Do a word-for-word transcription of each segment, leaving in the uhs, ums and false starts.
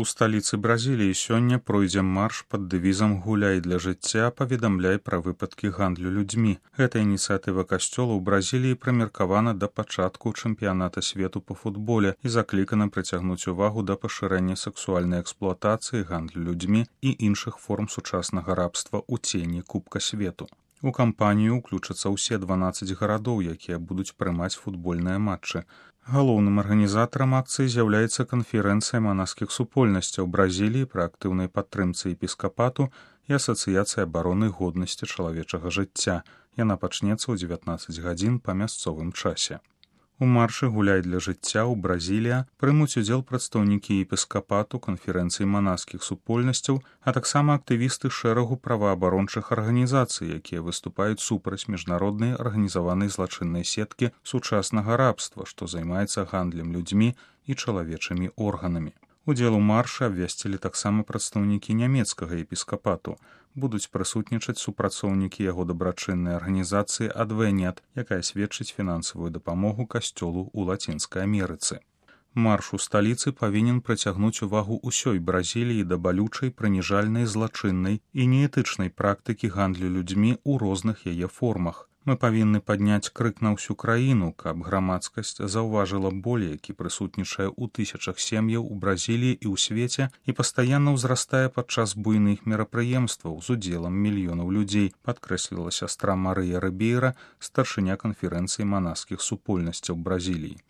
У сталіцы Бразіліі сёння пройдзе марш пад дэвізам «Гуляй для жыцця, паведамляй пра выпадкі гандлю людзьмі». Гэта ініцыятыва касцёла ў Бразіліі прымеркавана да пачатку чэмпіяната свету па футболе і заклікана прыцягнуць увагу да пашырэння сексуальнай эксплуатацыі, гандлю людзьмі і іншых форм сучаснага рабства ў цені Кубка свету. У кампанію ўключацца ўсе дванаццаць гарадоў, якія будуць прымаць футбольныя матчы. Галоўным арганізатарам акцыі з'яўляецца канферэнцыя манаскіх супольнасцяў Бразіліі пры актыўнай падтрымцы епіскапату і асацыяцыі абароны годнасці чалавечага жыцця. Яна пачнецца ў дзевятнаццаць гадзін па мясцовым часе. У маршы «Гуляй для жыцця» ў Бразілія прымуць удзел прадстаўнікі епіскапату, канферэнцыі манаскіх супольнасцяў, а таксама актывісты шэрагу праваабарончых арганізацый, якія выступаюць супраць міжнароднай арганізаванай злачыннай сеткі сучаснага рабства, што займаецца гандлем людзьмі і чалавечымі органамі. Удзел у маршы абвясцілі таксама прадстаўнікі нямецкага епіскапату. Будуць прысутнічаць супрацоўнікі яго дабрачыннай арганізацыі «Адвенет», якая сведчыць фінансавую дапамогу касцёлу ў Лацінскай Амерыцы. Марш у сталіцы павінен прыцягнуць увагу ўсёй Бразіліі да балючай, прыніжальнай, злачыннай і неэтычнай практыкі гандлю людзьмі ў розных яе формах. Мы павінны падняць крык на ўсю краіну, каб грамадскасць заўважыла боль, які прысутнічае ў тысячах сем'яў у Бразіліі і ў свеце і пастаянна ўзрастае падчас буйных мерапрыемстваў з удзелам мільёнаў людзей, падкрэсліла сястра Марыя Рыбейра, старшыня канферэнцыі манаскіх супольнасцяў Бразіліі.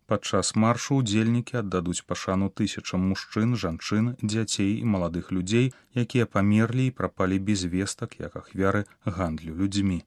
Падчас маршу ўдзельнікі аддадуць пашану тысячам мужчын, жанчын, дзяцей і маладых людзей, якія памерлі і прапалі без вестак як ахвяры гандлю людзьмі.